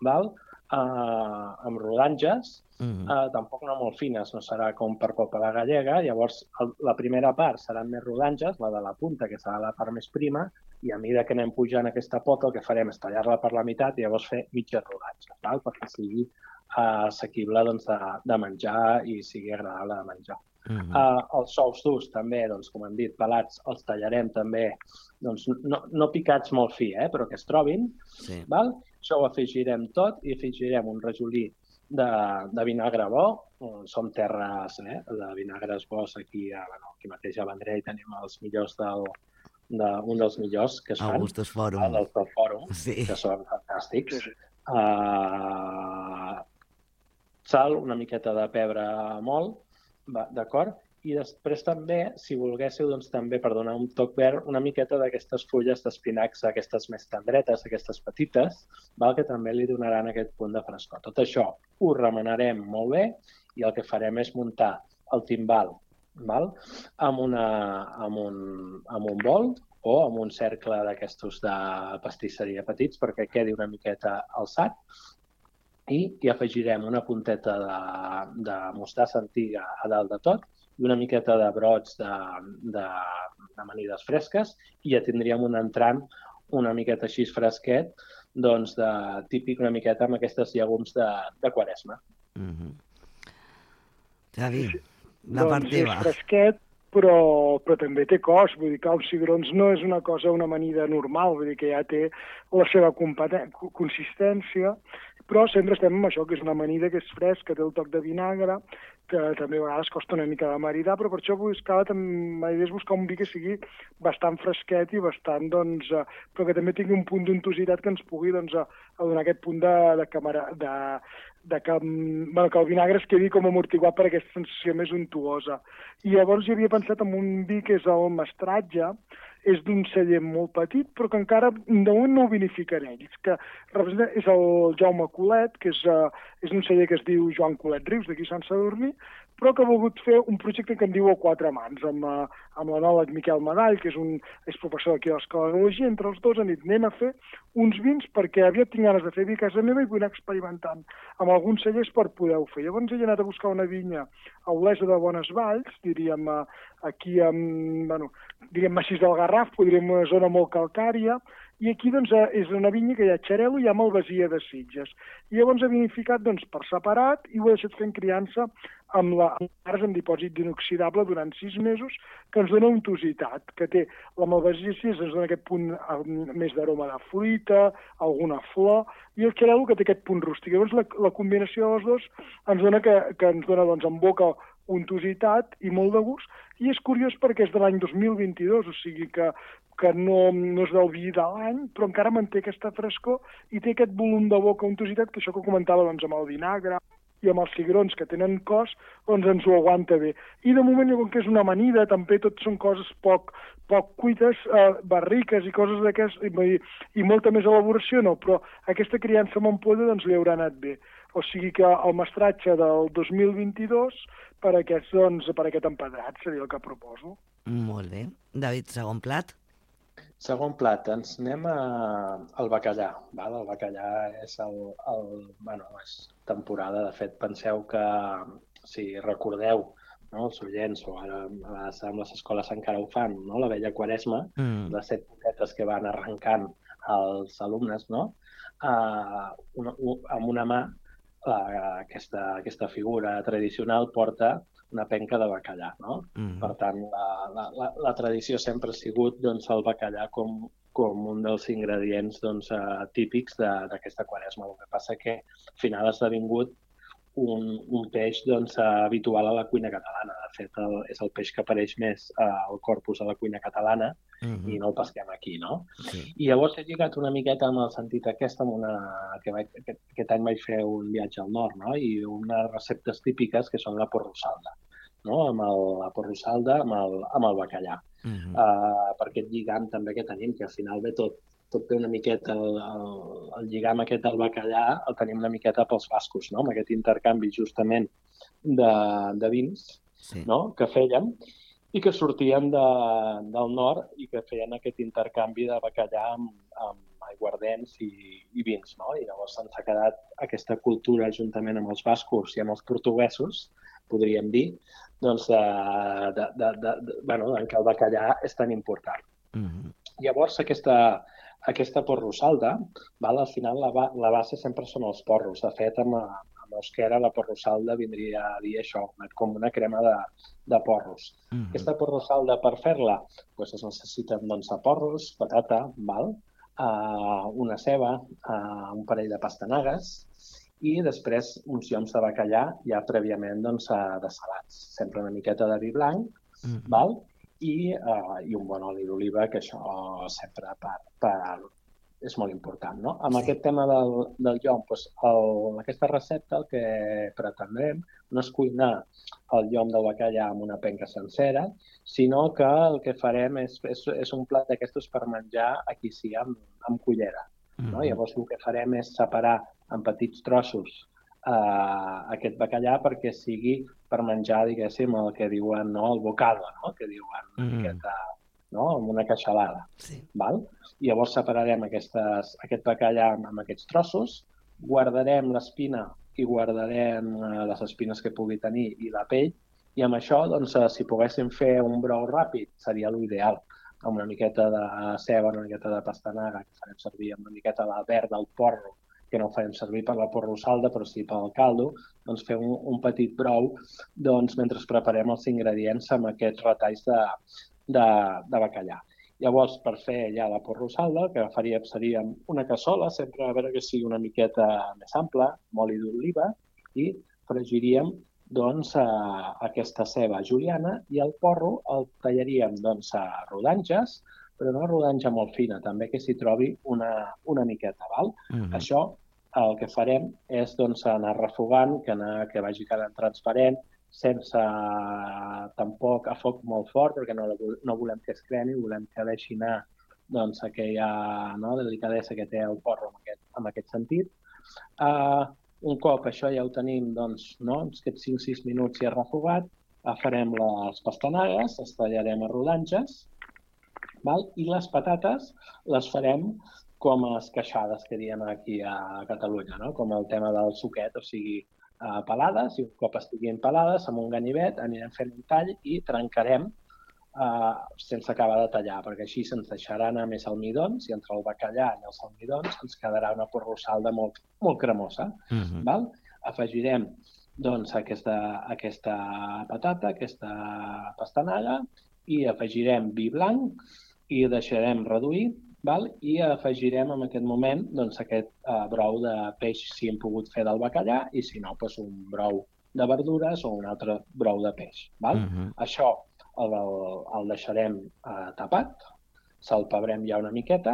val? Uh, amb rodanges, uh-huh. uh, tampoc no molt fines, no serà com per pop a la gallega. Llavors, el, la primera part seran més rodanges, la de la punta, que serà la part més prima, i a mesura que anem pujant aquesta pota, el que farem és tallar-la per la meitat i llavors fer mitges rodanges, val? Perquè sigui uh, assequible doncs, de, de menjar i sigui agradable de menjar. Uh-huh. Uh, els ous durs també, doncs, com hem dit, pelats, els tallarem també, doncs, no, no picats molt fi, eh, però que es trobin. Sí. Val? Això ho afegirem tot i afegirem un rajolí de, de vinagre bo. Som terres eh, de vinagres bons aquí, a, bueno, aquí mateix a Vendrell tenim els millors del, de, un dels millors que es fan. Augustus Fòrum. El del Fòrum, sí. Que són fantàstics. Uh, sal, una miqueta de pebre molt, d'acord? I després també, si volguéssiu, doncs també per donar un toc verd, una miqueta d'aquestes fulles d'espinacs, aquestes més tendretes, aquestes petites, val? Que també li donaran aquest punt de frescor. Tot això ho remenarem molt bé i el que farem és muntar el timbal, val? Amb, una, amb, un, amb un bol o amb un cercle d'aquestos de pastisseria petits perquè quedi una miqueta alçat i hi afegirem una punteta de, de mostassa antiga a dalt de tot i una miqueta de brots d'amanides fresques i ja tindríem un entrant una miqueta així fresquet, doncs de, típic una miqueta amb aquestes llegums de, de Quaresma. Mm-hmm. Xavi, la part teva. Doncs és fresquet, però, però també té cos, vull dir que els cigrons no és una cosa, una amanida normal, vull dir que ja té la seva consistència, però sempre estem amb això, que és una amanida que és fresc, que té el toc de vinagre, que també a vegades costa una mica de maridar, però per això buscava, la idea és buscar un vi que sigui bastant fresquet i bastant, doncs, eh, però que també tingui un punt d'untositat que ens pugui doncs, a, a donar aquest punt de, de, camara, de, de que, bueno, que el vinagre es quedi com amortiguat per aquesta sensació més untuosa. I llavors jo havia pensat en un vi que és el Mestratge, és d'un celler molt petit, però que encara de moment no ho vinificaré ells, que representa, és el Jaume Colet, que és, uh, és un celler que es diu Joan Colet Rius, d'aquí Sant Sadurní, però que ha volgut fer un projecte que en diu A Quatre Mans, amb, uh, amb l'enòleg Miquel Madall, que és, un, és professor aquí a l'Escola d'Enologia. Entre els dos han dit, anem a fer uns vins perquè aviat tinc ganes de fer vi a casa meva i vull anar experimentant amb alguns cellers per poder-ho fer. Llavors he anat a buscar una vinya a Olesa de Bones Valls, diríem, uh, aquí amb, bueno, diríem Massís del Garraf, podríem una zona molt calcària, i aquí doncs, és una vinya que hi ha xarel·lo i hi ha malvasia de Sitges. I llavors ha vinificat doncs, per separat i ho ha deixat fent criança amb la amb dipòsit d'inoxidable durant sis mesos, que ens dona untositat, que té la malvasia de Sitges, ens dona aquest punt més d'aroma de fruita, alguna flor, i el xarel·lo que té aquest punt rústic. Llavors la, la combinació dels dos ens dona que, que ens dona doncs, en boca untositat i molt de gust, i és curiós perquè és de l'any dos mil vint-i-dos, o sigui que, que no, no és del vi de l'any, però encara manté aquesta frescor i té aquest volum de boca, untositat, que això que comentava doncs, amb el vinagre i amb els cigrons que tenen cos, doncs ens ho aguanta bé. I de moment, com que és una amanida, també tot són coses poc, poc cuites, eh, barriques i coses d'aquestes, i, i molta més elaboració no, però aquesta criança amb ampolla doncs, li haurà anat bé. O sigui que el mestratge del dos mil vint-i-dos per aquest, doncs, per aquest empedrat seria el que proposo. Molt bé. David, segon plat? Segon plat, ens anem a, al bacallà. Val? El bacallà és, el, el, bueno, és temporada. De fet, penseu que, si recordeu, no, els oients, o ara amb les escoles encara ho fan, no? La vella Quaresma, mm. les set poquetes que van arrencant els alumnes, no? Uh, una, amb una mà, la, aquesta, aquesta figura tradicional porta una penca de bacallà, no? Mm. Per tant, la, la, la tradició sempre ha sigut doncs, el bacallà com, com un dels ingredients doncs, uh, típics d'aquesta Quaresma. El que passa que al final ha esdevingut un, un peix doncs, habitual a la cuina catalana. De fet, el, és el peix que apareix més uh, al corpus de la cuina catalana, mm-hmm. i no el pesquem aquí, no? Sí. I llavors he lligat una miqueta amb el sentit aquest, amb una, que vaig, aquest, aquest any vaig fer un viatge al nord, no? I unes receptes típiques que són la porrossalda, no? Amb el, la porrossalda amb el, amb el bacallà. Mm-hmm. uh, per aquest lligam també que tenim, que al final ve tot, tot té una miqueta, el, el, el lligam aquest del bacallà el tenim una miqueta pels bascos, no? Amb aquest intercanvi justament de, de vins, sí. No? Que feien i que sortien de, del nord i que feien aquest intercanvi de bacallà amb, amb aiguardents i, i vins, no? I llavors se'ns ha quedat aquesta cultura juntament amb els bascos i amb els portuguesos, podríem dir, doncs, de, de, de, de, de, bueno, en què el bacallà és tan important. Mm-hmm. Llavors, aquesta, aquesta porrossalda, val, al final la, ba la base sempre són els porros. De fet, amb, amb euskera la porrossalda vindria a dir això, com una crema de, de porros. Mm-hmm. Aquesta porrossalda, per fer-la, doncs es necessiten doncs, porros, patata, val, uh, una ceba, uh, un parell de pastanagues, i després uns lloms de bacallà ja prèviament doncs, dessalats. Sempre una miqueta de vi blanc, mm-hmm. val? I, uh, i un bon oli d'oliva, que això sempre per, per, és molt important, no? Amb sí. Aquest tema del, del llom, doncs el, aquesta recepta el que pretendrem no és cuinar el llom del bacallà amb una penca sencera, sinó que el que farem és, és, és un plat d'aquestos per menjar aquí sí, amb, amb cullera. No? Mm-hmm. Llavors el que farem és separar en petits trossos uh, aquest bacallà perquè sigui per menjar, diguéssim, el que diuen, no, el bocado, no? Que diuen mm-hmm. aquesta, no? Amb una queixalada. Sí. Val? I llavors separarem aquestes, aquest bacallà amb, amb aquests trossos, guardarem l'espina i guardarem uh, les espines que pugui tenir i la pell, i amb això, doncs, uh, si poguéssim fer un brou ràpid, seria l'ideal. Amb una miqueta de ceba, una miqueta de pastanaga, que farem servir amb una miqueta de verd del porro, que no ho farem servir per la porrossalda, però sí pel caldo, doncs fer un, un petit brou doncs, mentre preparem els ingredients amb aquests retalls de, de, de bacallà. Llavors, per fer ja la porrossalda, el que faríem seria una cassola, sempre a veure que sigui una miqueta més ampla, amb oli d'oliva, i fregiríem doncs, a aquesta ceba juliana i el porro el tallaríem doncs, a rodanges, però no a rodanja molt fina, també que s'hi trobi una, una miqueta. Val? Mm-hmm. Això el que farem és doncs, anar refogant, que, anar, que vagi quedant transparent, sense tampoc a foc molt fort, perquè no, no volem que es cremi, volem que deixi anar doncs, aquella no, delicadesa que té el porro en aquest, en aquest sentit. Uh, un cop això ja ho tenim, doncs, no, aquests cinc sis minuts ja refogat, uh, farem les pastanagues, les tallarem a rodanges, val? I les patates les farem com a esqueixades que diem aquí a Catalunya, no? Com el tema del suquet, o sigui, uh, pelades, i un cop estiguin pelades, amb un ganivet anirem fent un tall i trencarem Uh, sense acabar de tallar, perquè així se'ns deixarà anar més almidons i entre el bacallà i els almidons ens quedarà una porrossalda molt, molt cremosa. Uh-huh. Val? Afegirem doncs, aquesta, aquesta patata, aquesta pastanaga, i afegirem vi blanc i deixarem reduir, val? I afegirem en aquest moment doncs, aquest uh, brou de peix si hem pogut fer del bacallà i si no, doncs, un brou de verdures o un altre brou de peix. Val? Uh-huh. Això El, el deixarem eh, tapat, salpebrem ja una miqueta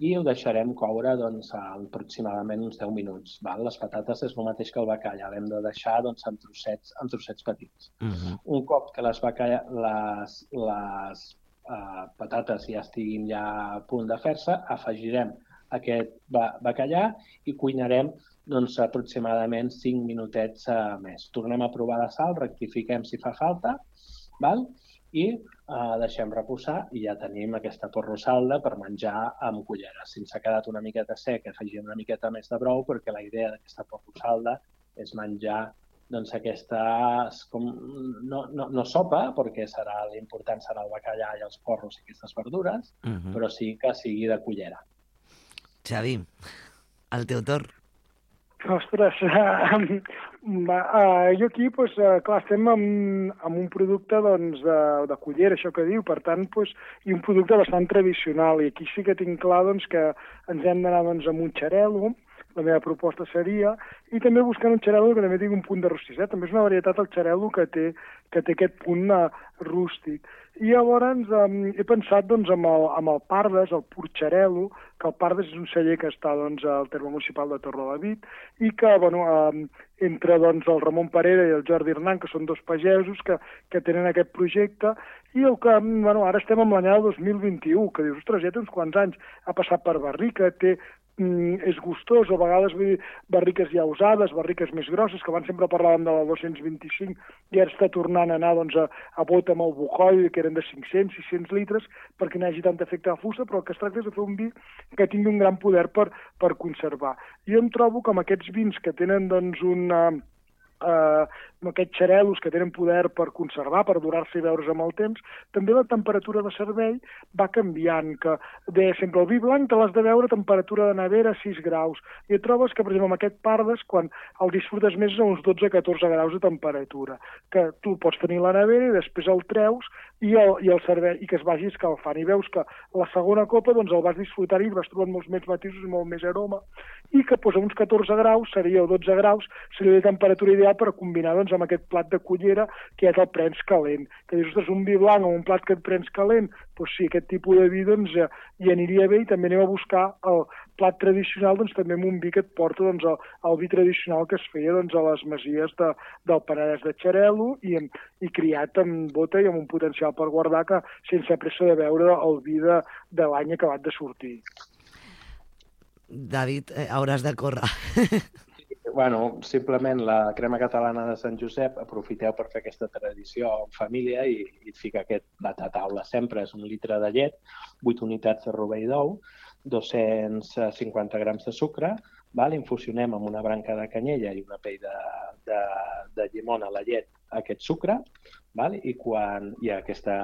i ho deixarem coure doncs, aproximadament uns deu minuts. Val? Les patates és el mateix que el bacallà, l'hem de deixar doncs, en, trossets, en trossets petits. Uh-huh. Un cop que les, bacalla, les, les uh, patates ja estiguin ja a punt de fer-se, afegirem aquest bacallà i cuinarem doncs, aproximadament cinc minutets uh, més. Tornem a provar de sal, rectifiquem si fa falta, val? I uh, deixem reposar i ja tenim aquesta porrossalda per menjar amb cullera. Si ens ha quedat una miqueta sec, afegim una miqueta més de brou, perquè la idea d'aquesta porrossalda és menjar doncs, aquestes, com, no, no, no sopa, perquè serà l'important serà el bacallà i els porros i aquestes verdures, uh-huh. però sí que sigui de cullera. Xavi, el teu torn. Ostres, uh, uh, jo aquí, pues, uh, clar, estem amb, amb un producte doncs, de, de cullera, això que diu, per tant, pues, i un producte bastant tradicional, i aquí sí que tinc clar doncs, que ens hem d'anar doncs, amb un xarel·lo, la meva proposta seria, i també buscant un xarel·lo que també tingui un punt de rostit. També és una varietat el xarel·lo que té, que té aquest punt uh, rústic. I llavors um, he pensat doncs, amb, el, amb el Pardes, el pur xarel·lo, que el Pardes és un celler que està doncs, al terme municipal de Torrelavit i que bueno, um, entre doncs, el Ramon Parera i el Jordi Hernán, que són dos pagesos que, que tenen aquest projecte, i el que, bueno, ara estem en l'any dos mil vint-i-u, que dius, ostres, ja té uns quants anys, ha passat per barrica, té és gustós, a vegades vull dir, barriques ja usades, barriques més grosses, que abans sempre parlàvem de la dos-cents vint-i-cinc i ara està tornant a anar doncs, a, a bota amb el Bujoy, que eren de cinc-cents, sis-cents litres, perquè no hi hagi tant efecte de fusta, però el que es tracta és de fer un vi que tingui un gran poder per, per conservar. Jo em trobo que amb aquests vins que tenen doncs, una... Uh, aquests xarel·los que tenen poder per conservar, per durar-se i veure's amb el temps, també la temperatura de servei va canviant, que deia sempre el vi blanc te l'has de veure a temperatura de nevera a sis graus, i et trobes que, per exemple, amb aquest Pardes, quan el disfrutes més a uns dotze a catorze graus de temperatura, que tu pots tenir la nevera i després el treus i el, i el servei, i que es vagi escalfant, i veus que la segona copa doncs, el vas disfrutar i vas trobant molts més matisos i molt més aroma, i que doncs, a uns catorze graus seria, o dotze graus, seria la temperatura ideal per combinar doncs, amb aquest plat de cullera que és el prens calent. Que dius, ostres, un vi blanc o un plat que et prens calent, doncs sí, aquest tipus de vi doncs, ja, hi aniria bé, i també anem a buscar el plat tradicional doncs, també amb un vi que et porta doncs, el, el vi tradicional que es feia doncs, a les masies de, del Penedès de xarel·lo i, i criat amb bota i amb un potencial per guardar que sense pressa de veure el vi de, de l'any acabat de sortir. David, eh, hauràs de córrer. Bueno, simplement la crema catalana de Sant Josep, aprofiteu per fer aquesta tradició en família i, i et fica aquest plat a taula. Sempre és un litre de llet, vuit unitats de rovell d'ou, dos-cents cinquanta grams de sucre, val? Infusionem amb una branca de canyella i una pell de, de, de llimona a la llet aquest sucre, val? I, quan, i, aquesta,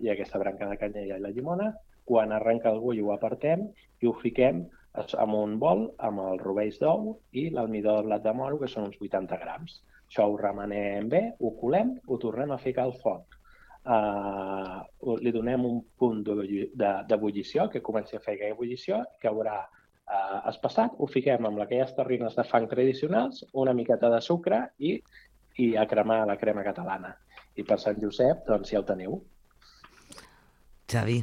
i aquesta branca de canyella i la llimona, quan arrenca el gall ho apartem i ho fiquem amb un bol, amb els rovells d'ou i l'almidó de blat de moro, que són uns vuitanta grams. Això ho remenem bé, ho colem, ho tornem a ficar al foc. Uh, li donem un punt d'ebullició, que comenci a fer aquella ebullició, que haurà uh, espassat, ho fiquem amb aquelles terrines de fang tradicionals, una miqueta de sucre i, i a cremar la crema catalana. I per Sant Josep, doncs ja ho teniu. Xavi,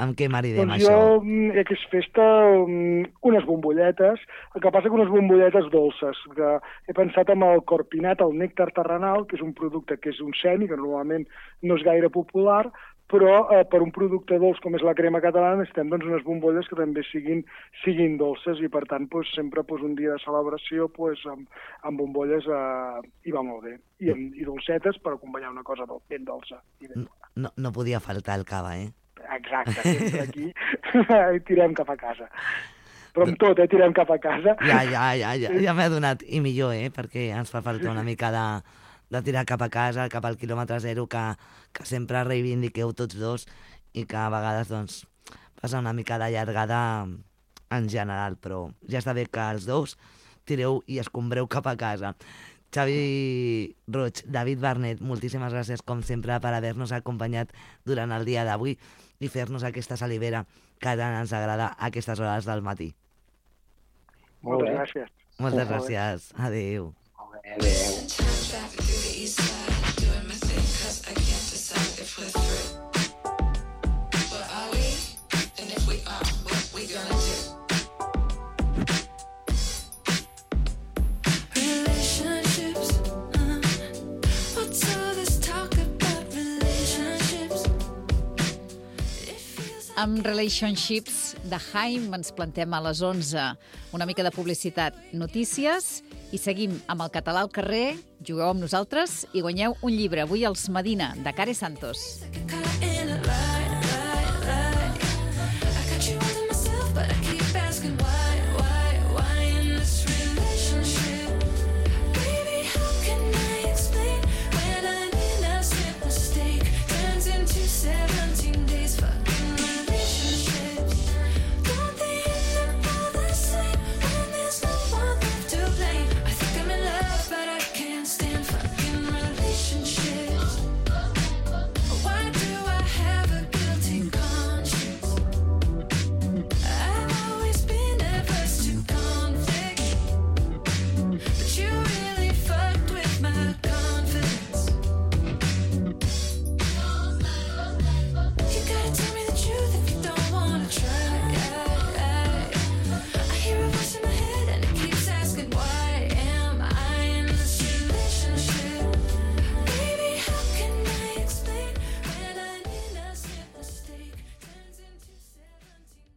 Amb què maridem doncs això? jo, mm, que és festa, mm, unes bombolletes, el que passa que unes bombolletes dolces, que he pensat amb el corpinat, el nèctar terrenal, que és un producte que és un semi, que normalment no és gaire popular, però eh, per un producte dolç com és la crema catalana necessitem doncs, unes bombolles que també siguin, siguin dolces i per tant doncs, sempre doncs, un dia de celebració doncs, amb, amb bombolles eh, hi va molt bé. I, amb, i dolcetes per acompanyar una cosa dol, ben dolça. I ben no, no podia faltar el cava, eh? Exacte, sempre aquí i tirem cap a casa. Però amb tot, eh, tirem cap a casa. Ja, ja, ja, ja, ja m'he adonat. I millor, eh, perquè ens fa falta una mica de, de tirar cap a casa, cap al quilòmetre zero, que, que sempre reivindiqueu tots dos i que a vegades, doncs, passa una mica de llargada en general, però ja està bé que els dos tireu i escombreu cap a casa. Xavi Roig, David Barnet, moltíssimes gràcies, com sempre, per haver-nos acompanyat durant el dia d'avui i fer-nos aquesta salivera que tant ens agrada a aquestes hores del matí. Moltes gràcies. Moltes gràcies. Adéu. Adéu. Amb Relationships de Haim ens plantem a les onze. Una mica de publicitat, notícies i seguim amb el català al carrer. Jugueu amb nosaltres i guanyeu un llibre. Avui els Medina, de Care Santos. Seven